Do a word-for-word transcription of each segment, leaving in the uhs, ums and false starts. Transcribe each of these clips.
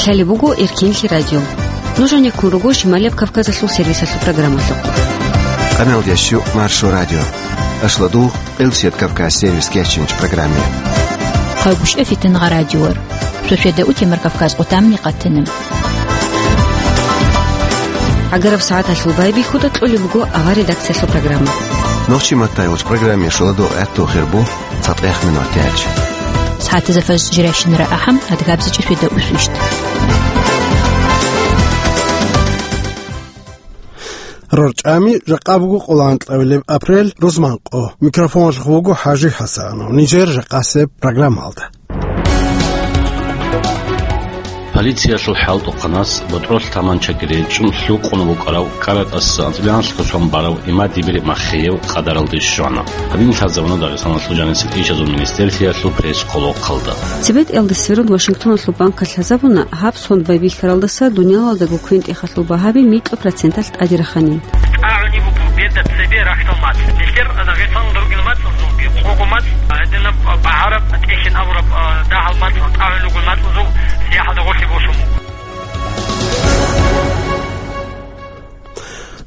Лъалеб буго Эркинлъи радио. Нуж гьанеккун руго Шималияб Кавказалъул сервисалъул программалъухъ. Къаналдящу Маршо радио. Ашладу Къилсият Кавказ сервис кечинч программе. Хъайгуща фитнагъа радиор. Шошеда утемар Кавказ къутамни къатина. Агараб сагӀаталъул байбихьуда кьолеб буго авар редакциялъул программа. Нохчи маттай уч программе шуладу гӀатту хирбу. ЦатӀех минутач. СагӀатазда фаз жирайщинара ахӀам, адгабзичӀеб фида усвищ. РорчӀами жакъа буго къоло анкьабилеб апрель, рузманкъо. Микрофоналъухъ вуго ХӀажи ХӀасанов. Нижер жакъасеб программалда. Полициялъул хӀалтӀухъанас ботӀролъ таманчаги речӀчӀун лъукъун букӀарав каратӀаса анцӀбилан лъусан барав имад дибири маххеяв къадаралде щвана. Гьадин лъазабуна Дагъистаналъул жанисел ишазул министерствиялъул пресс-къолохъалда. ЦебетӀиялда сверун Вашингтоналъул банкалъ лъазабуна, гьаб сон байбихьаралдаса дуниялалдаго квен-тӀехалъул багьаби микьа проценталъ тӀаде раханин. ТӀагӀуни буго беда цебе рахьдал мацӀ. Нилъер Дагъистаналда ругел мацӀазулги, къого мацӀ, гьединаб багьараб, тӀехьен абураб, а, дагьал мацӀ, тӀагӀун ругел мацӀазул сияхӀалда гъорлъе босун буго.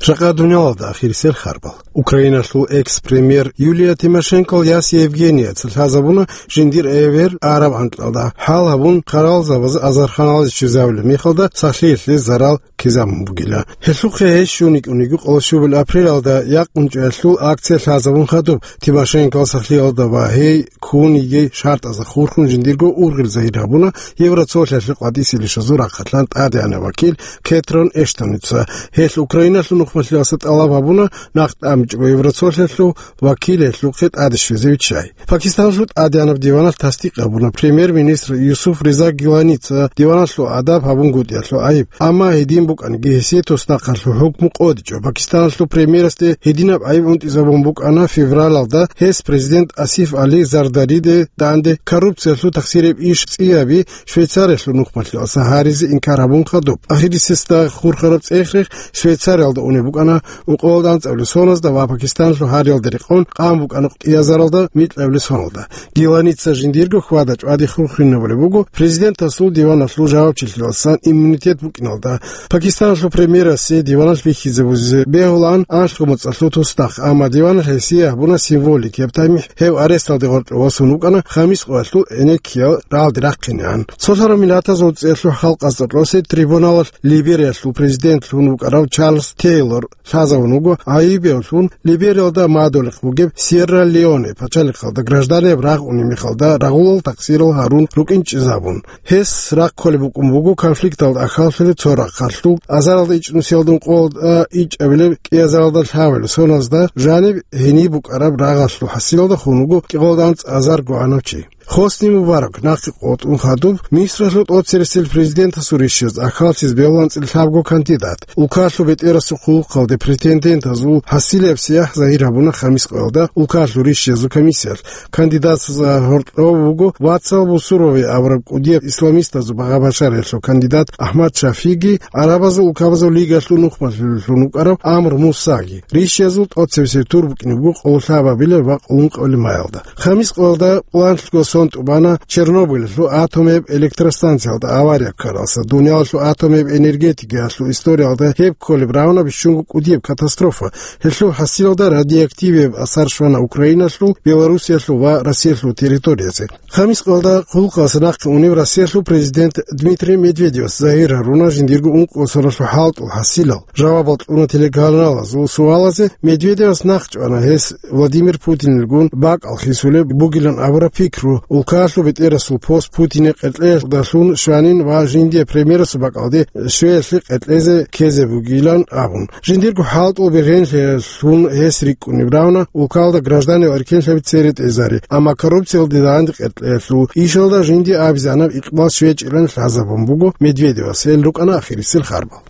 Жакъа дуниялалда ахирисел харбал. Украиналъул экс-премьер Юлия Тимошенкол яс Евгенияца лъазабуна жиндир эвер араб анкьалда. ХӀал гьабун, хъаралзабаз азарханалде щвезавулеб мехалда сахлъиялъе зарал ккезабун бугила. Гьелъухъе гьес щун йикӀун йиго къоло щубабилеб апрелалда якъунчӀоялъул акция лъазабун хадуб, Тимошенкол сахлъиялда ва гьей ккун йигей шартӀазда хурхун жиндирго ургъел загьир гьабуна Евроцолъиялъе къватӀисел ишазул рахъалъан тӀадегӀанаб вакил Кетрон Эштоница. Гьелъ Украиналъул нухмалъиялъа тӀалаб гьабуна нахъ тӀамичӀого Евроцолъиялъул вакил гьелъухъе тӀаде щвезе виччай. Пакистаналъул тӀадегӀанаб диваналъ тасдикъ гьабуна премьер-министр Юсуф Риза Гиланица диваналъул адаб гьабунгутӀиялъул гӀайиб, амма гьедин букӀаниги гьесие туснахъалъул хӀукму къотӀичӀо. Пакистаналъул премьерасде гьединаб гӀайиб унтӀизабун букӀана февралалда, гьес президент Асиф Али Зардариде данде коррупциялъул тахсиреб иш цӀияби Швейцариялъул нухмалъиялъа гьаризе инкар гьабун хадуб. Ахирисесда хурхараб цӀех-рех Швейцариялда унеб букӀана ункъоялда анцӀабилеб соналда ва Пакистаналъул гьариялда рекъон къан букӀана кӀиазаралда микьабилеб соналда. Гиланица жиндирго хьвада-чӀвади хурхинабулеб буго президентасул диваналъул жавабчилъиялдасан иммунитет букӀиналда. Пакистаналъул премьерасе диваналъ бихьизе бугеб бегьулаан анлъго моцӀалъул туснахъ, амма диваналъ гьесие гьабуна символикияб тамихӀ, гьев аресталде гъоркье восун вукӀана, хамис къоялъул гӀенеккиял рагӀалде рахъинегӀан. Цолъарав Миллатазул ЦӀикӀкӀалъул Халкъалда кьосе трибуналалъ Либериялъул президент лъун вукӀарав Чарльз Тейлор лъазавун вуго гӀайибияв лъун Либериялда мадулехъ бугеб Сьерра-Леоне пачалихъалда гражданиял рагъ унеб мехалда рагъулал такъсирал гьарун рукӀинчӀезабун. Гьес рахъ кколеб букӀун буго конфликталда ахӀаллъулеб цо рахъалъул азаралда ичӀнусиялда ункъоялда ичӀабилеб кӀиазаралда лъабабилеб соналда жаниб гьениб букӀараб рагъалъул хӀасилалда хун вуго кӀикъоялда анцӀазарго гӀанав чи. Хосни Мубарак нахъе къотӀун хадуб Мисралъул тӀоцересел президентасул рищаз ахӀаллъизе бегьулаан цӀилъабго кандидат. Улкалъул бетӀерасул хъулухъалде претендентазул хӀасилеб сияхӀ загьир гьабуна хамис къоялда улкалъул рищазул комиссиялъ. Кандидатазда гьоркьов вуго вацал Бусурови абураб кӀудияб исламистазул багъа-башариялъул кандидат Ахмад Шафиги, Гьарабазул улкабазул лигалъул нухмалъулев лъун вукӀарав Амр Мусаги. Рищазул тӀоцебесеб тур букӀине буго къоло лъабабилеб ва къоло ункъабилеб майалда. Хамис къоялда пуланлъго сон тӀубана Чернобыльалъул атомияб электростанциялда авария ккаралдаса. Дуниялалъул атомияб энергетикаялъул историялда гьеб кколеб равна бищунго кӀудияб катастрофа. Гьелъул хӀасилалда радиоактивияб асар щвана Украиналъул, Белоруссиялъул ва Россиялъул территориязе. Хамис къоялда хъулухъалдаса нахъе унев Россиялъул президент Дмитрий Медведевас загьир гьаруна жиндирго ункъо соналъул хӀалтӀул хӀасилал. Жавабал кьуна телеканалазул суалазе, Медведевас нахъ чӀвана гьес Владимир Путинилгун бакӀал хисулеб бугилан абураб пикру, улкалъул бетӀерасул пост Путине къеркьеялдалъун щванин ва жиндие премьерасул бакӀалде щвеялъе къеркьезе ккезе бугилан абун. Жиндирго хӀалтӀул бергьенлъиялъун гьес рикӀкӀунеб равна улкалда гражданиял эркенлъаби цере тӀезари, амма коррупциялде данде къеркьеялъул ишалда жиндие абизанаб икъбал щвечӀилан лъазабун буго Медведевас. Гьел рукӀана ахирисел харбал.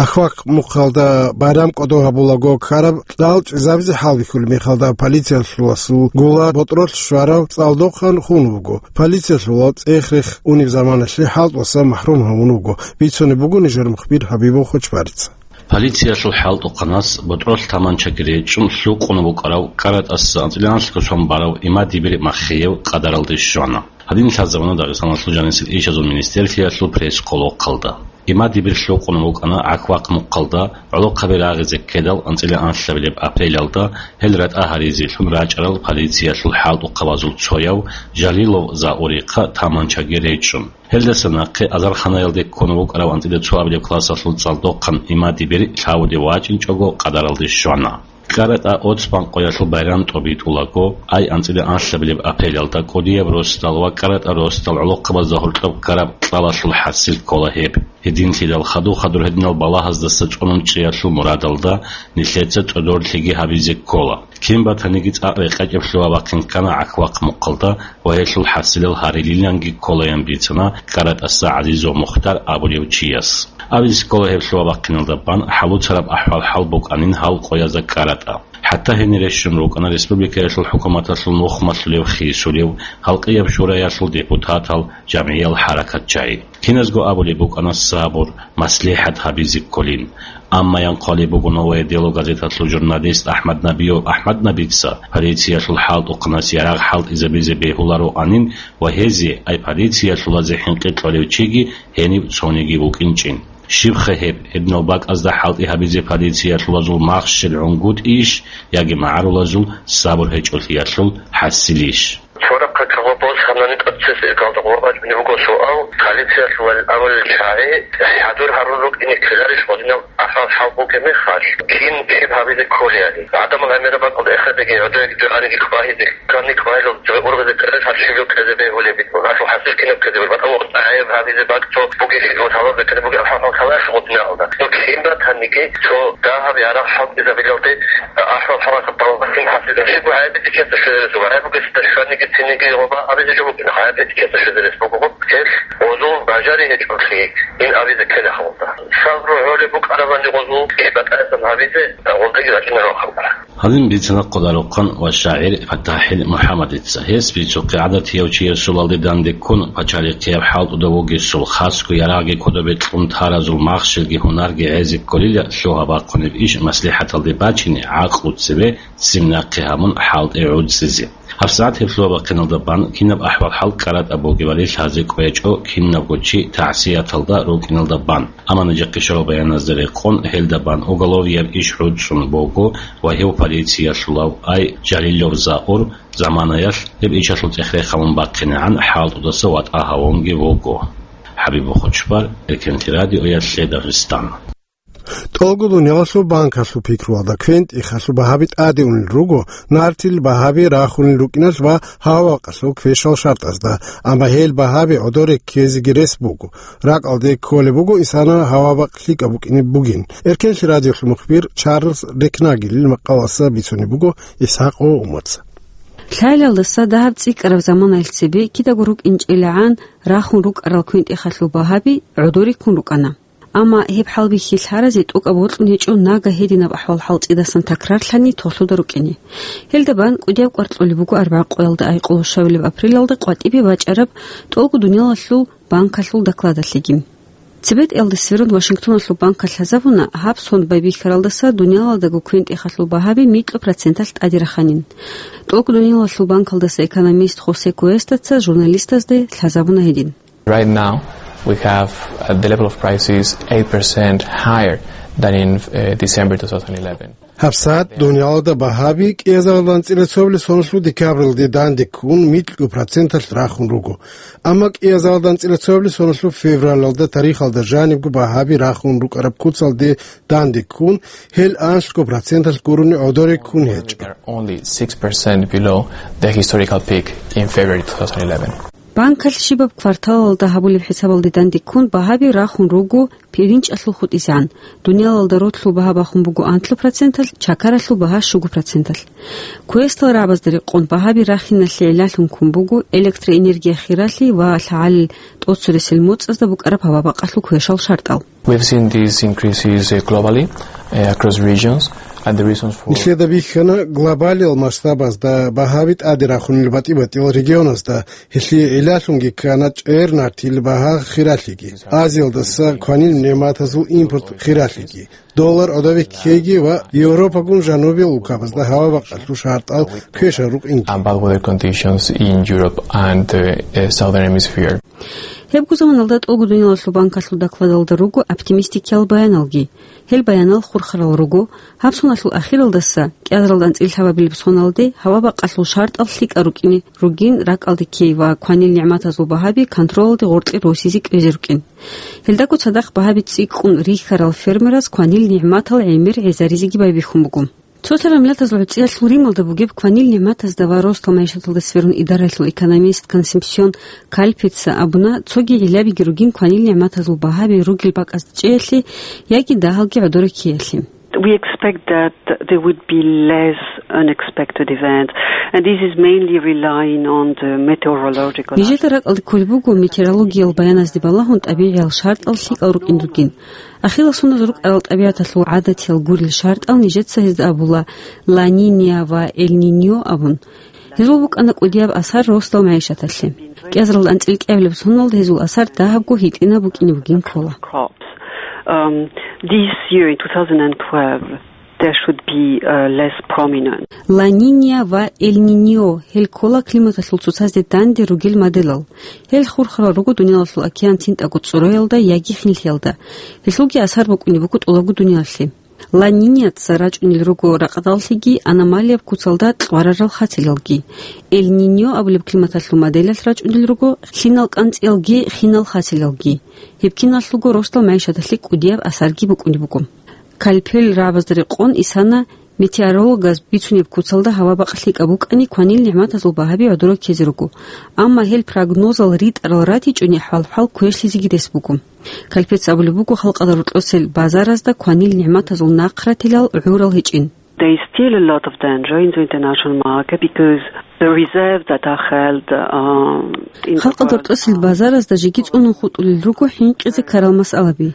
Ахвакъ мухъалда байрам кӀодо гьабулаго ккараб кьал чӀезабизе хӀалбихьулеб мехалда полициялъуласул гула ботӀролъ щварав цӀалдохъан хун вуго. Полициялъулал цӀех-рех унеб заманалъе хӀалтӀуса махӀрум гьавун вуго, бицунеб буго нижер мухбир Хабибов Хочбарица. Полициялъул хӀалтӀухъанас ботӀролъ таманчаги речӀчӀун лъукъун букӀарав КӀаратӀаса анцӀила анлъго сон барав имадибир маххиев къадаралде щвана. Гьадин лъазабуна Дагъистаналъул жанисел ишазул министерствиялъул пресс-къолохъалда. Имадибир лъукъун букӀана ГӀахьвахъ мухъалда, гӀолохъаби рагъизе ккедал анцӀила анлъабилеб апрелалда гьел ратӀа гьаризелъун рачӀарал полициялъул хӀалтӀухъабазул цояв Жалилов Заурихъа таманчаги речӀчӀун. Гьелдаса нахъе азарханаялде ккун вукӀарав анцӀила цоабилеб классалъул цӀалдохъан имадибир лъавулев вачӀинчӀого къадаралде щвана. КӀаратӀа Оцбанкъоялъул байрам тӀобитӀулаго, ай анцӀила анлъабилеб апрелалда кӀудияб росдал ва КӀаратӀа росдал гӀолохъабазда гьоркьоб ккараб кьалалъул хӀасил ккола гьеб. Гьединлъидал хадур-хадур гьединал балагьаздаса цӀунун чӀеялъул мурадалда нилъеца цӀодорлъиги гьабизе ккола. Кин батаниги цӀакъ рекъечӀеб лъугьа-бахъин ккана ГӀахьвахъ мухъалда ва гьелъул хӀасилал гьарилиланги кколаян бицана КӀаратӀаса ГӀазизов Мухтар абулев чияс. Абизе ккола гьеб лъугьа-бахъиналда бан хӀалуцараб ахӀвал-хӀал букӀанин гьал къоязда КӀаратӀа. ХӀатта гьенире щун рукӀана республикаялъул хӀукуматалъул нухмалъулев хисулев, халкъияб шураялъул депутатал, жамгӀиял хӀаракатчагӀи. Киназго абулеб букӀана сабур, маслихӀат гьабизе кколин. Амма янхъвалеб буго «Новое дело» газеталъул журналист АхӀмад Набиев АхӀмад Набица полициялъул хӀалтӀухъанас ярагъ хӀалтӀизабизе бегьулароанин ва гьезие, ай полициялъулазе хӀинкъи кьолев чиги гьенив цониги вукӀинчӀин. Щибха гьеб, гьединал бакӀазда хӀалтӀи гьабизе полициялъулазул махщел гӀунгутӀийищ яги магӀарулазул сабур гьечӀолъиялъул хӀасилищ? Цо рахъа кагъо босанани тӀоцебесеб иргалда гъуба бачӀунеб буго суал, полициялъул абулел чагӀи хӀадур гьарун рукӀине ккеларищ гьединал ахӀвал-хӀал бугеб мехалъ, кин гьеб гьабизе кколеали? ГӀадамал гӀемераб бакӀалда эхедеги, гӀодоеги дугӀаниги квагьизе, ккани квагьилал жо ургъизе ккеларищ гьаб щиб жо ккезе бегьулеб? Гьалъул хӀасил кинаб ккезе бур? БатӀа гӀайиб гьабизе бакӀ цо бугелъул гьалаб беккараб бугеб ахӀвал-хӀал кколаялъ гьединал. Ну, кин батаниги цо дагьаб ярагъ хӀалтӀизабилалде ахӀвал-хӀал балагьун хӀалтӀизаб. Щибго гӀайиб бетӀер ккезе щвезарес буго. ГӀайиб бугесда щваниги цинги гъоба гьабизе жо букӀина. ГӀайиб бетӀер ккезе щвезарес буго. Гьелъ гъозул бажари гьечӀолъи ин абизе ккела халда. Сабру гьолеб букӀарабани гъозул, батӀаясан гьабизе гъолдаги рачӀунарал халкъ. Гьадин бицана къодарухъан ва шагӀир ПатахӀил МухӀаммадица. Гьес бицухъе гӀадатияв чиясулалде дандеккун, пачалихъияб хӀалтӀуда вугесул, хасго ярагъги кодобе кьун таразул махщелги гьунарги гӀезе кколила лъугьа-бахъунеб иш маслихӀаталде бачине, гӀакълу цебе ццин нахъе гьабун хӀалтӀи гӀуцӀизе. ГьабсагӀат гьеб лъугьа-бахъиналда бан кинаб ахӀвал-хӀал КӀаратӀа бугебали лъазе кӀвечӀо кинабго чи тагӀсияталда рукӀиналда бан. Амма нижехъе щварал баяназда рекъон, гьелда бан уголовияб иш гӀуцӀун буго ва гьев полициялъулав, ай Жалилов Заур, заманаялъ гьеб ишалъул цӀех рехамун бахъинегӀан хӀалтӀудаса ватӀа гьавунги вуго. ХӀабиб Бухучбар, Эркенлъи радиоялъе Дагъистан. ТӀолго дуниялалъул банкалъул пикруялда квен-тӀехалъул багьаби тӀаде унел руго, нартил багьаби рахунел рукӀиналъ ва гьаваб-бакъалъул квешал шартӀазда, амма гьел багьаби гӀодоре ккезеги рес буго. РакӀалде кколеб буго инсанал гьаваб-бакъ лъикӀаб букӀине бугин. Эркенлъи радиолъул мухбир Чарльз Рекнагелил макъалаялъ бицунеб буго ИсхӀакъ Умаца. Лъалалдаса дагьаб цӀикӀкӀараб заманаялъ цебе кидаго рукӀинчӀелегӀан рахун рукӀарал квен-тӀехалъул багьаби гӀодоре ккун рукӀана. Амма гьеб хӀалбихьи лъаразе тӀокӀаб бокьун гьечӀо нагагь гьединаб ахӀвал-хӀал цӀидасан такрарлъани толъуда рукӀине. Гьелда бан кӀудияб кӀвар кьолеб буго арбагӀа къоялда айкьулаб щвабилеб апрелалда къватӀибе бачӀараб тӀолго дуниялалъул банкалъул докладалъеги. ЦебетӀиялда сверун Вашингтоналъул банкалъ лъазабуна, гьаб сон байбихьаралдаса дуниялалдаго квен-тӀехалъул багьаби микьго проценталъ тӀаде раханин. ТӀолго дуниялалъул банкалдаса экономист Хосе Куэстаца журналистазда лъазабуна гьедин. Right now, we have, uh, the level of prices eight percent higher than in, uh, December two thousand eleven. ГьабсагӀат дуниялалда багьаби кӀиазарилан анцӀила цоабилеб соналъул декабралде дандеккун микьго проценталъ рахун руго. Амма кӀиазарилан анцӀила цоабилеб соналъул февралалда тарихалда жанибго багьаби рахун рукӀараб куцалде дандеккун, гьел анлъго проценталъ гурони гӀодоре ккун гьечӀо. Only six percent below the historical peak in February two thousand eleven. Банкалъ щибаб кварталалда гьабулеб хӀисабалде дандеккун багьаби рахун руго пиринчӀалъул хутӀизегӀан, дуниялалда ролъул багьа бахун буго анлъго проценталъ, чакаралъул багьа щуго проценталъ. Квестал рагӀабазда рекъон багьаби рахиналъе гӀиллалъун ккун буго электроэнергия хиралъи ва лъагӀалил тӀоцересел моцӀазда букӀараб гьаваб-бакъалъул квешал шартӀал. We've seen these increases, uh, globally, uh, across regions, And the reasons for Нилъеда бихьана глобалиял масштабазда багьаби тӀаде рахунел батӀи-батӀиял регионазда, гьелъие гӀиллалъунги ккана чӀер нартил багьа хиралъиги. Азиялдаса кванил нигӀматазул импорт хиралъиги, доллар гӀодобе ккейги ва Европагун жанубиял улкабазда гьава-бакъалъул шартӀал квешал рукӀинги. And bad weather conditions in Europe and the, uh, Southern Hemisphere. Гьебго заманалда ТӀолго дуниялалъул банкалъул докладалда руго оптимистикиял баяналги. Гьел баянал хурхарал руго, гьаб соналъул ахиралдаса, кӀиазаралда анцӀила лъабабилеб соналде, гьава-бакъалъул шартӀал лъикӀал рукӀине ругин ракӀалде ккей ва кванил нигӀматазул багьаби контролалде гъоркье росизе кӀвезе рукӀин. Гьелдаго цадахъ багьаби цӀикӀкӀун рихьарал фермераз кванил нигӀматал гӀемер гӀезаризеги байбихьун буго. Цоцазда миллатазул гӀуцӀиялъул Рималда бугеб кванил нигӀматазда ва ростал магӀишаталда сверун идараялъул экономист Консепсион Кальпеца абуна, цоги гӀиллабиги ругин кванил нигӀматазул багьаби ругел бакӀазда чӀеялъе яги дагьалги гӀодореккеялъе. We expect that there would be less unexpected events, and this is mainly relying on the meteorological Нижеда ракӀалде кколеб буго метеорологиял баяназде балагьун тӀабигӀиял шартӀал лъикӀал рукӀин ругин. Ахирал соналъ рукӀарал тӀабигӀаталъул гӀадатиял гурел шартӀал нижеца гьезда абула Ла Ниния ва Эль Ниньо абун. Гьезул букӀана кӀудияб асар росдал магӀишаталъе. КӀиазаралда анцӀила кӀиабилеб соналда гьезул асар дагьабго гьитӀинаб букӀине бугин ккола. Crops. Um, this year in two thousand twelve, there should be, uh, less prominent. Ла Ниния ва Эль Ниньо, гьел ккола климаталъул цоцазде данде ругел моделал. Гьел хурхарал руго дуниялалъул океан цинтӀаго цӀураялда яги хинлъиялда. Гьелъулги асар букӀунеб буго тӀолабго дуниялалъе. Ла Ниньяца рачӀунел руго ракъдаллъиги аномалияб куцалда кьварарал хацелалги. Эль Ниньо абулеб климаталъул моделалъ рачӀунел руго лъимал кӀанцӀиялги хинал хацелалги. Гьеб киналъулго росдал магӀишаталъе кӀудияб асарги букӀунеб буго. Кальпел рагӀабазда рекъон исана, метеорологаз бицунеб куцалда гьава-бакъ лъикӀаб букӀани, кванил нигӀматазул багьаби гӀодореккезе руго. Амма гьел прогнозал ритӀарал ратичӀони хӀвал-хӀвал квешлъизеги рес буго. Кальпец абулеб буго, халкъалда рокьосел базаразда кванил нигӀматазул нахъратилал гӀурал гьечӀин. There is still a lot of danger in the international market because the reserves that are held, uh, in the Халкъалда рокьосел базаразда жеги цӀунун хутӀулел руго хӀинкъизе ккарал масъалаби.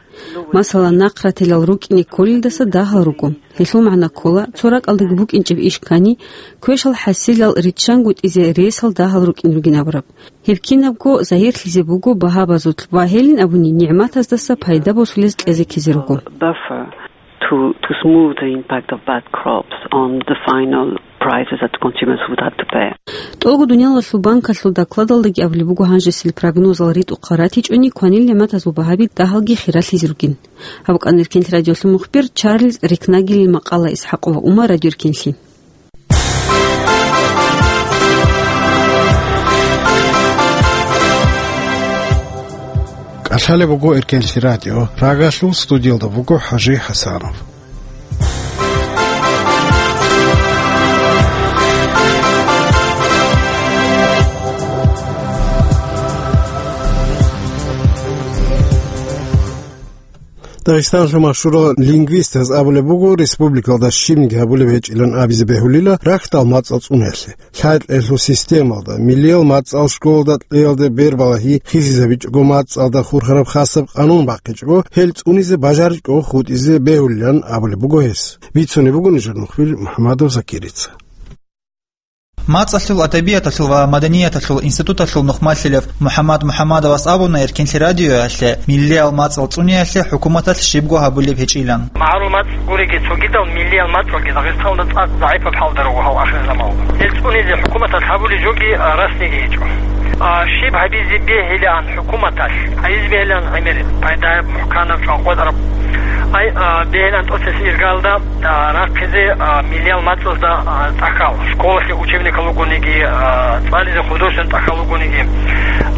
Масала, нахъратилал рукӀине кколелдаса дагьал руго. Гьелъул магӀна ккола, цо ракӀалдаги букӀинчӀеб иш ккани, квешал хӀасилал риччангутӀизе ресал дагьал рукӀин ругин абураб. Гьеб кинабго загьирлъизе буго багьабазулъ ва гьелин абуни нигӀматаздаса пайда босулез кьезе ккезе руго. Buffer to, to smooth the impact of bad crops on the final prices that consumers would have to pay. ТӀолго дуниялалъул банкалъул докладалдаги абулеб буго гьанжесил прогнозал ритӀухъал ратичӀони кванил нигӀматазул багьаби дагьалги хиралъизе ругин. Гьаб букӀана Эркенлъи радиолъул мухбир Чарльз Рикнагелил макъала. Исхакова Ума, Радио Эркенлъи. КӀалъалеб буго Эркенлъи радио, Прагалъул студиялда буго ХӀажи ХӀасанов. Дагъистаналъул машгьурал лингвистаз абулеб буго, республикалда щибниги гьабулеб гьечӀилан абизе бегьулила рахьдал мацӀал цӀуниялъе. Лъайкьеялъул системалда, миллиял мацӀал школалда кьеялде бербалагьи хисизабичӀого мацӀалда хурхараб хасаб къанун бахъичӀого, гьел цӀунизе бажаричӀого хутӀизе бегьулилан абулеб буго гьес. Бицунеб буго нижер мухбир МухӀамадов Закирица. МацӀалъул, адабияталъул ва маданияталъул институталъул нухмалъилев МухӀаммад МухӀаммадовас абуна Эркенлъи радиоялъе, миллиял мацӀал цӀуниялъе хӀукуматалъ щибго гьабулеб гьечӀилан. МагӀарул мацӀ гуребги, цогидал миллиял мацӀалги Дагъистаналда цӀакъ загӀипаб хӀалда руго гьал ахирзаманалда. Гьел цӀунизе хӀукуматалъ гьабулеб жоги, а, расниги гьечӀо. А, щиб гьабизе бегьилаан хӀукуматалъ, гьабизе бегьилаан гӀемер пайдаяб, мухӀканаб, чӀванкъотӀараб. Ай, а, бегьилаан тӀоцебесеб иргалда, а, рахъизе, а, миллиял мацӀазда, а, цӀахьал, школалъе учебникал ругониги, а, цӀализе художественный цӀахьал ругониги.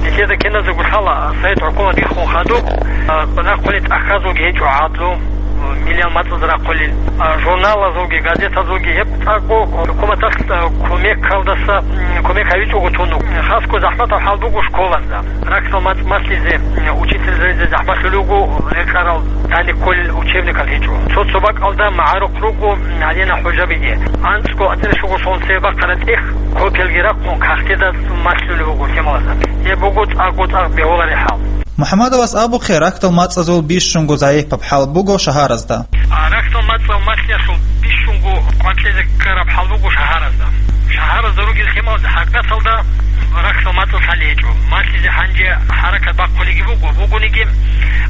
Нилъеда киназего лъала, а, Совет хӀукумат биххун хадуб, а, рахъулел цӀахьазулги гьечӀо гӀадлу, а, миллиял мацӀаз рахъулел, а, журналазулги, газетазулги гьеб цӀакъго хӀукуматалъ, а, кумекалдаса, м, кумек гьавичӀого тун. Хасго захӀматаб хӀал буго школазда. Рахьдал мацӀ малъизе, учительзаризе захӀмалъулел руго, рекъарал, данде кколел учебникал гьечӀо. Цо-цо бакӀалда магӀарухъ руго гьадинал хӀужабиги. АнцӀго, цӀершого шолгӀун цебе бахъараб тӀехь копиялги рахъун, кагътида малъулеб буго лъималазда. Гьеб буго цӀакъго цӀакъ бегьулареб хӀал. МухӀаммадовас абухъе, рахьдал мацӀазул бищунго загӀипаб хӀал буго шагьаразда. А, Рахьдал мацӀал малъиялъул бищунго къватӀлъизе ккараб хӀал буго шагьаразда. Шагьаразда ругел хемалаз хӀакъаталда рахьдал мацӀал лъалей гьечӀо. Малъизе гьанже хӀаракат бахъулеги буго, бугониги,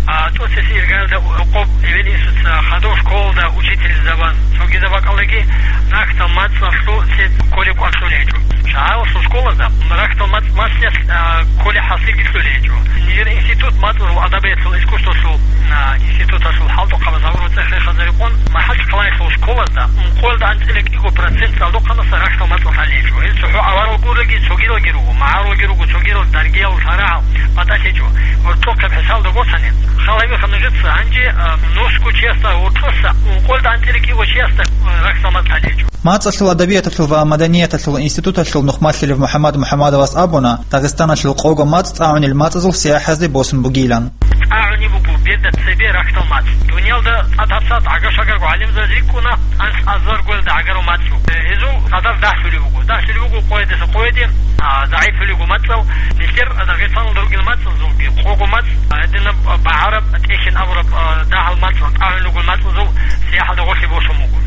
а, тӀоцебесеб иргаялда рокъоб эбел-инсуца, хадуб школалда учительзабаз, цогидаб бакӀалдаги рахьдал мацӀалъул цебе кколеб кӀвар лъолей гьечӀо. Шагьаралъул школазда рахьдал мацӀ малъиялъ, а, кколеб хӀасилги лъолей гьечӀо. Нижер институт мацӀазул, адабияталъул, искусствоялъул, а, институталъул хӀалтӀухъабаз гьабураб цӀехе хазарикъун, МахӀачхъалаялъул школазда ункъоялда анцӀила кӀиго процент цӀалдохъанаса рахьдал мацӀал лъалей гьечӀо. Гьел цохӀо аварал гурраги цогидалги руго, магӀарулги руго, цогидал даргиял, шарагӀал батӀалъи гьечӀо. Гьоркьохъеб хӀисабалда босани, хал гьабиха нужеца, гьанже, а, нусго чиясда гьоркьоса ункъоялда анцӀила кӀиго чиясда, а, рахьдал мацӀ лъалей гьечӀо. МацӀалъул, адабияталъул ва маданияталъул институталъул нухмалъилев МухӀаммад МухӀаммадовас абуна, Дагъистаналъул къого мацӀ тӀагӀунел мацӀазул сияхӀазде босун бугилан. ТӀагӀунеб буго беда цебе рахьдал мацӀ. Дунялда цӀад гьабсагӀат гӀага-шагарго гӀалимзабаз рикӀкӀуна анлъ азарго гӀагарал мацӀ. Гьезул гӀадар дагьлъулеб буго. Дагьлъулеб буго къоядаса къояде, а, загӀиплъулеб буго мацӀал. Нилъер Дагъистаналда ругел мацӀазулги къого мацӀ, а, гьединаб багӀараб, тӀехьен абураб, а, дагьал мацӀал, тӀагӀун ругел мацӀазул сияхӀалда гъорлъе босун буго.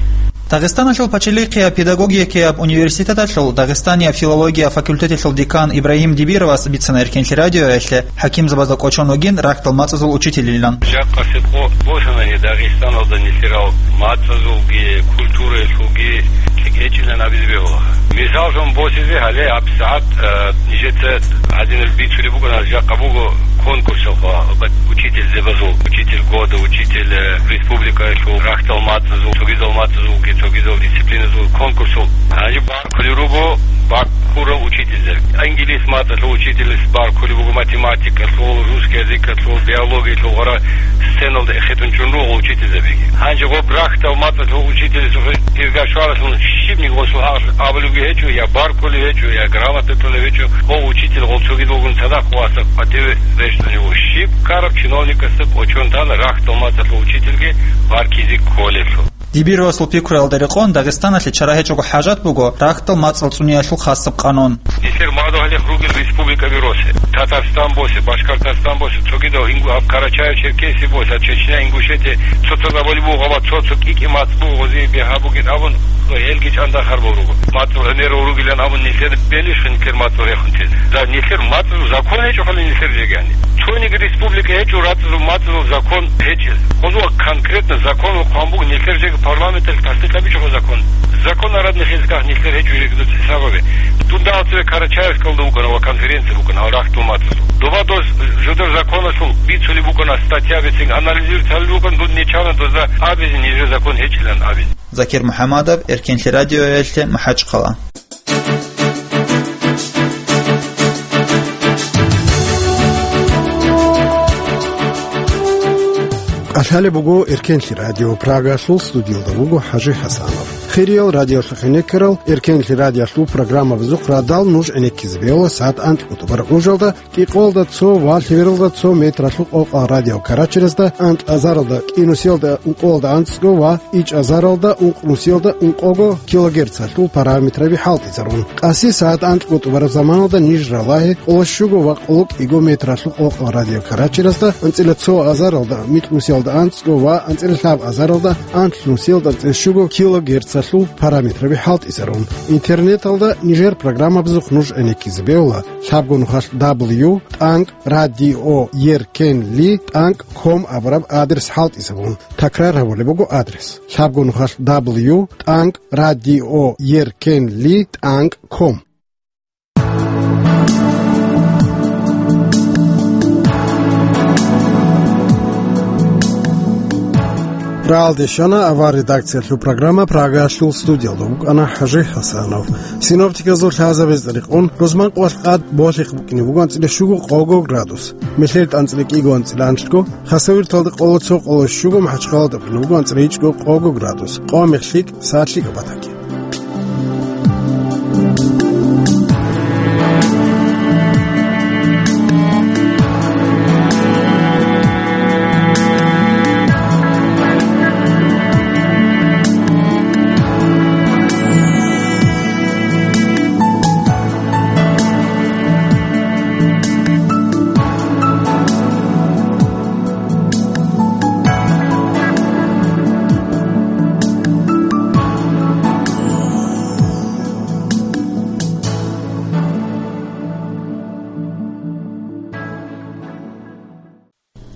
Дагъистаналъул пачалихъияб педагогикияб университеталъул Дагъистанияб филология факультеталъул декан Ибрагьим Дибировас бицана Эркенлъи радиоялъе, хӀакимзабазда кӀочон вугин рахьдал мацӀазул учителилан. Жакъасеб къо босанани Дагъистаналда нилъерал мацӀазулги, культураялъулги лъикӀ гьечӀилан абизе бегьула. Мисаллъун босизе, гьале гьабсагӀат, э, нижеца гьадинаб бицулеб букӀана, жакъа буго конкурсалъул, учительзабазул, учитель года, учитель, э, республикаялъул, рахьдал мацӀазул, цогидал мацӀазулги, цогидал дисциплиназул конкурсул. Гьанже баркулел руго баркурал учительзаби. Инглис мацӀалъул учительс баркулеб буго, математикалъул, русский языкалъул, биологиялъул гъора сценалда эхетун чӀун руго учительзабиги. Гьанже гъоб рахьдал мацӀалъул учительс гьиргашваралъун щибниги гъосул гьакъалъулъ абулебги гьечӀо, я баркулеб гьечӀо, я грамота кьолеб гьечӀо, гъов учитель гъол цогидалгун цадахъ васаб къватӀиве рещтӀунев вуго. Щиб ккараб чиновникасда кӀочон тана рахьдал мацӀалъул учительги баркизе кколелъул. Дибировасул пикруялда рекъон, Дагъистаналъе чара гьечӀого хӀажат буго рахьдал мацӀал цӀуниялъул хасаб къанун. Нилъер мадугьалихъ ругел республикаби росе, Татарстан босе, Башкортостан босе, цогидал ингу-, гьаб Карачаево-Черкесия босе, Чечня, Ингушетия, цо-цо габали буго, гъаба цо-цо кӀикӀи мацӀ буго, гъозие бегьа бугин абун, гьелги чӀандахъарбал руго. МацӀал гӀемерал ругилан абун нилъер белищха нилъер мацӀал рехун тезе? За нилъер мацӀал закон гьечӀо хъали нилъер жегани. Цониги республика гьечӀо рацӀцӀадул мацӀазул закон гьечӀел. Гъозул конкретно закон ва хъван буго, нилъер жеги парламенталъ тасдикъ гьабичӀого закон. Закон араднихъ изгах нилъер гьечӀо жеги дуца хӀисабабе. Дун дагьал цеве Карачаевскалда вукӀана ва конференция букӀана гьал рахьдул мацӀазул. Доба доз жодор законалъул бицулеб букӀана статья бицин, анализировать гьалел рукӀан, дун нечана дозда абизе нижер закон гьечӀилан абизе. Закир МухӀаммадов, Эркенлъи радиоялъе, МахӀачхъала. КӀалъалеб буго Эркенлъи радио, Прагалъул студиялда вуго ХӀажи ХӀасанов. Хириял радиолъухъ гӀенеккарал, Эркенлъи радиолъул программабазухъ радал нуж гӀенеккизе бегьула сагӀат анкьго тӀубараб ужалда, кӀикъоялда цо ва лъебералда цо метралъул къокъал радиокарачерезда, анкьазаралда кӀинусиялда ункъоялда анцӀго ва ичӀазаралда ункънусиялда ункъого килогерцалъул параметраби хӀалтӀизарун. Къаси сагӀат анкьго тӀубараб заманалда ниж ралагье къоло щуго ва къоло кӀиго метралъул къокъал радиокарачерезда, анцӀила цо азаралда микьнусиялда анцӀго ва анцӀила лъаб азаралда анлънусиялда анцӀила щуго килогерцалъул параметраби хӀалтӀизарун. Интернеталда нижер программабазухъ нуж гӀенеккизе бегьула лъабго нухалъ дабл ю тӀанкӀ радио еркенли тӀанкӀ ком абураб адрес хӀалтӀизабун. Такрар гьабулеб буго адрес: лъабго нухалъ дабл ю тӀанкӀ радио еркенли тӀанкӀ ком. Рагьалде щвана авар редакциялъул программа, Прагаялъул студиялда вукӀана ХӀажи ХӀасанов. Синоптиказул лъазабазда рекъон, рузман къвалъ къад болъихъ букӀине буго анцӀила щуго къого градус. Мехьел анцӀила кӀиго, анцӀила анлъго, Хасавюрталда къоло цо, къоло щуго, МахӀачхъалада букӀине буго анцӀила ичӀго къого градус. Къо мехлъикӀ, сад лъикӀаб батаги.